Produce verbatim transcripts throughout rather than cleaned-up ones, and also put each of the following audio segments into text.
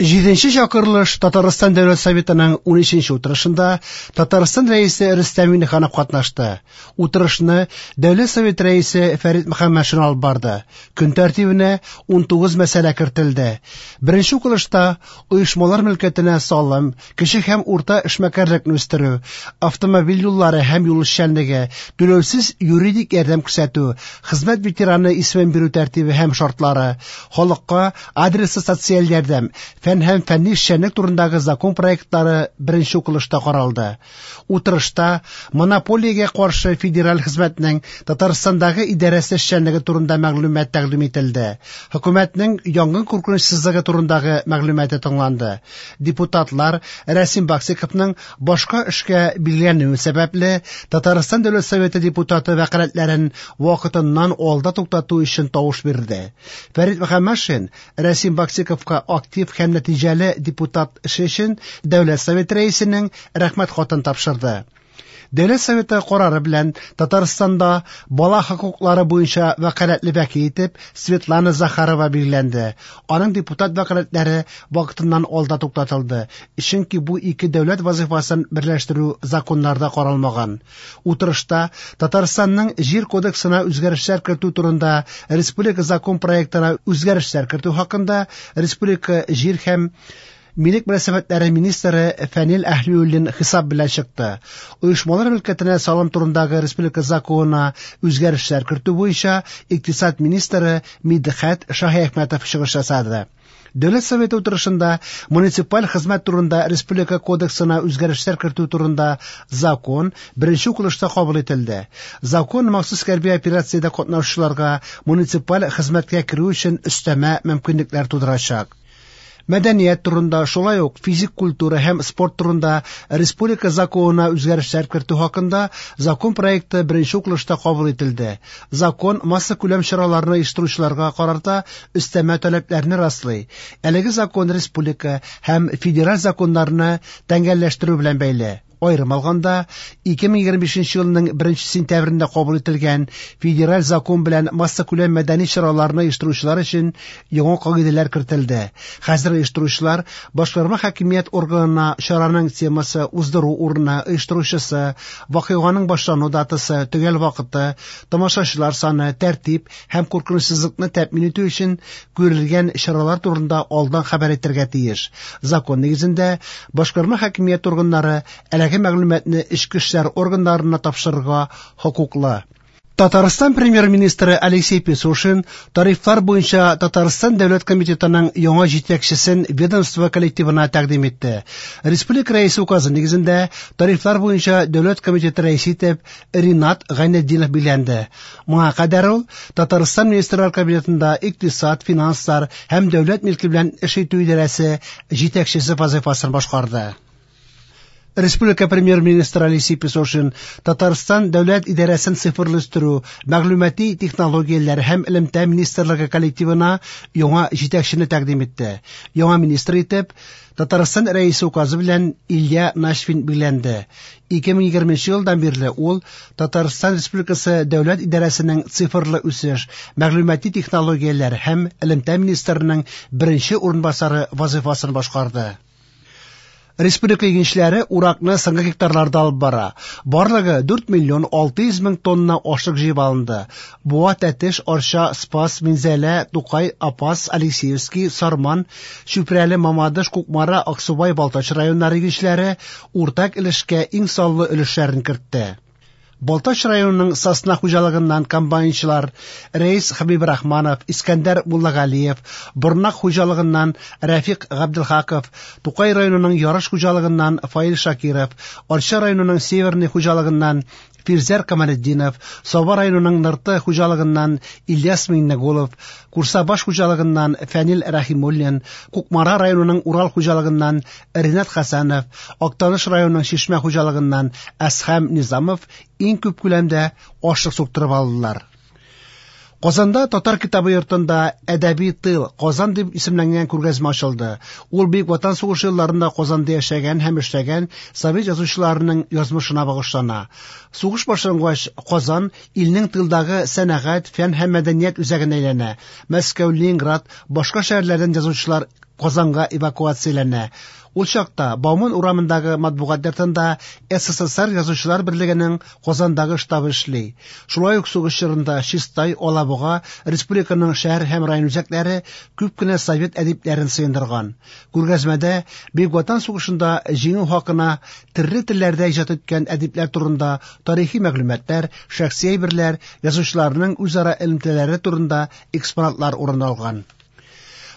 Җиденче чакырылыш Татарстан Дәүләт Советының унөченче утырышында Татарстан Рәисе Рөстәм Миңнеханов катнашты. Утырышны Дәүләт Советы Рәисе Фәрит Мөхәммәтшин алып барды. Көн тәртибенә унтугыз мәсьәлә кертелде. Беренче укылышта оешмалар мөлкәтенә салым, кече һәм урта эшмәкәрлекне үстерү, автомобиль юллары һәм юл эшчәнлеге, түләүсез юридик ярдәм күрсәтү, хезмәт ветераны исемен бирү тәртибе һәм шартлары, халыкка адреслы социаль ярдәм, фән һәм фәнни эшчәнлек турындагы закон проектлары беренче укылышта каралды. Утырышта монополиягә каршы федераль хезмәтнең Татарстандагы идарәсе эшчәнлеге турында мәгълүмат тәкъдим ителде. Хөкүмәтнең янгын куркынычсызлыгы турындагы мәгълүматы тыңланды. Депутатлар Рәсим Баксиковның башка эшкә билгеләнүе сәбәпле Татарстан Дәүләт Советы депутаты вәкаләтләрен вакытыннан алда туктату өчен тавыш бирде. Фәрит Мөхәммәтшин Рәсим Баксиковка актив һәм нәтиҗәле депутат эше өчен Дәүләт Советы рәисенең рәхмәт хатын тапшырды. Дәүләт Советы карары белән Татарстанда бала хокуклары буенча вәкаләтле вәкил итеп Светлана Захарова билгеләнде. Аның депутат вәкаләтләре вакытыннан алда туктатылды, чөнки бу ике дәүләт вазифасын берләштерү законнарда каралмаган. Утырышта Татарстанның Җир кодексына үзгәрешләр кертү турында республика закон проектына үзгәрешләр кертү хакында республика җир һәм милек мөнәсәбәтләре министры Фәнил Әһлиуллин хисап белән чыкты. Оешмалар мөлкәтенә салым турындагы республика законына үзгәрешләр кертү буенча икътисад министры Мидхәт Шаһиәхмәтов чыгыш ясады. Дәүләт Советы утырышында муниципаль хезмәт турында республика кодексына үзгәрешләр кертү турында закон беренче укылышта кабул ителде. Закон махсус хәрби операциядә катнашучыларга муниципаль хезмәткә керү өчен өстәмә мөмкинлекләр тудырачак. Мәдәният турында, шулай ук физик культура һәм спорт турында республика законына үзгәрешләр кертү хакында закон проекты беренче укылышта кабул ителде. Закон массакүләм чараларны оештыручыларга карата өстәмә таләпләрне раслый. Әлеге закон республика һәм федераль законнарны тәңгәлләштерү белән бәйле. Аерым алганда, ике мең егерме бишенче елның беренче сентябрендә кабул ителгән федераль закон белән массакүләм мәдәни чараларны оештыручылар өчен яңа кагыйдәләр кертелде. Хәзер оештыручылар башкарма хакимият органына чараның темасы, уздыру урыны, оештыручысы, вакыйганың башлану датасы, төгәл вакыты, тамашачылар саны, тәртип һәм куркынычсызлыкны тәэмин итү өчен күрелгән чаралар турында алдан хәбәр итәргә тиеш. Закон нигезендә башкарма хакимият органнары әлеге мәгълүматны эчке эшләр органнарына тапшырырга хокуклы. Татарстан премьер-министры Алексей Песошин тарифлар буенча Татарстан Дәүләт комитетының яңа җитәкчесен ведомство коллективына тәкъдим итте. Республика рәисе указы нигезендә тарифлар буенча Дәүләт комитеты рәисе итеп Ринат Гайнетдинов билгеләнде. Моңа кадәр ул Татарстан Министрлар Кабинетында икътисад, финанслар һәм дәүләт милке белән эш итү идарәсе җитәкчесе вазифасын башкарды. Республика премьер-министры Алексей Песошин Татарстан Дәүләт идарәсен цифрлаштыру, мәгълүмати технологияләр һәм элемтә министрлыгы коллективына яңа җитәкчене тәкъдим итте. Яңа министр итеп Татарстан рәисе указы белән Илья Нашвин билгеләнде. ике мең егерменче елдан бирле ул Татарстан Республикасы Дәүләт идарәсенең цифрлы үсеш, мәгълүмати технологияләр һәм элемтә министрының беренче урынбасары вазифасын башкарды. Республика игенчеләре уракны соңгы гектарларда алып бара. Барлыгы дүрт миллион алты йөз мең тонна ашлык җыеп алынды. Буа, Тәтеш, Арча, Спас, Минзәлә, Тукай, Апас, Алексеевский, Сарман, Чүпрәле, Мамадыш, Кукмара, Аксубай, Балтач районнары игенчеләре уртак өлешкә иң саллы өлешләрен кертте. Балтач районының Сосна хуҗалыгыннан комбайнчылар Рәис Хәбибрахманов, Искәндәр Муллагалиев, Борнак хуҗалыгыннан Рәфик Габделхаков, Тукай районының Ярыш хуҗалыгыннан Фаил Шакиров, Арча районының Северный хуҗалыгыннан Фирзәр Камалетдинов, Саба районының Нырты хуҗалыгыннан Ильяс Миңнегулов, Курсабаш хуҗалыгыннан Фәнил Рәхимуллин, Кукмара районының Урал хуҗалыгыннан Ринат Хәсәнов, Актаныш районының Чишмә хуҗалыгыннан Әсхәм Низамов иң күп күләмдә ашлык суктырып алдылар. Казанда Татар китабы йортында Әдәби тыл Казан дип исемләнгән күргәзмә ачылды. Ул Бөек Ватан сугышы елларында Казанда яшәгән һәм эшләгән совет язучыларының язмышына багышлана. Сугыш башлангач, Казан илнең тылдагы сәнәгать, фән һәм мәдәният үзәгенә әйләнә. Мәскәү, Ленинград, башка шәһәрләрдән язучылар Казанга эвакуацияләнә. Ул чакта Бауман урамындагы матбугат йортында С С С Р Язучылар берлегенең Казандагы штабы эшли. Шулай ук сугыш чорында Чистай, Алабуга, республиканың шәһәр һәм район үзәкләре күп кенә совет әдипләрен сыендырган. Күргәзмәдә Бөек Ватан сугышында җиңү хакына төрле телләрдә иҗат иткән әдипләр турында тарихи мәгълүматлар, шәхси әйберләр, язучыларның үзара элемтәләре турында экспонатлар урын алган.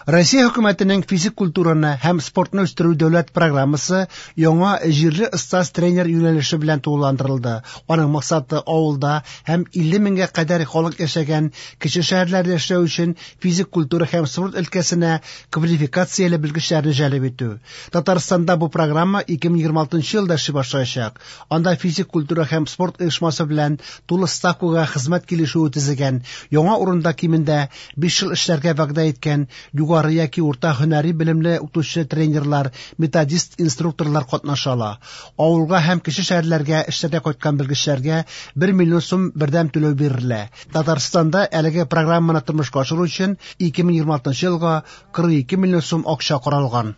Россия хөкүмәтенең физик культураны һәм спортны үстерү дәүләт программасы яңа җирле остаз-тренер юнәлеше белән тулыландырылды. Аның максаты авылда һәм илле меңгә кадәр халык яшәгән кече шәһәрләрдә эшләү өчен физик культура һәм спорт өлкәсенә квалификацияле белгечләрне җәлеп итү. Татарстанда бу программа ике мең егерме алтынчы елда эшли башлаячак. Анда физик культура һәм спорт оешмасы белән тулы ставкага хезмәт килешүе төзегән, яңа урында кимендә биш ел эшләргә вәгъдә иткән югары яки урта һөнәри белемле укытучы тренерлар, методист инструкторлар катнаша ала. Авылга һәм кече шәһәрләргә эшләргә кайткан белгечләргә бер миллион сум бердәм түләү бирелә. Татарстанда әлеге программаны тормышка ашыру өчен ике мең егерме алтынчы елга кырык ике миллион сум акча каралган.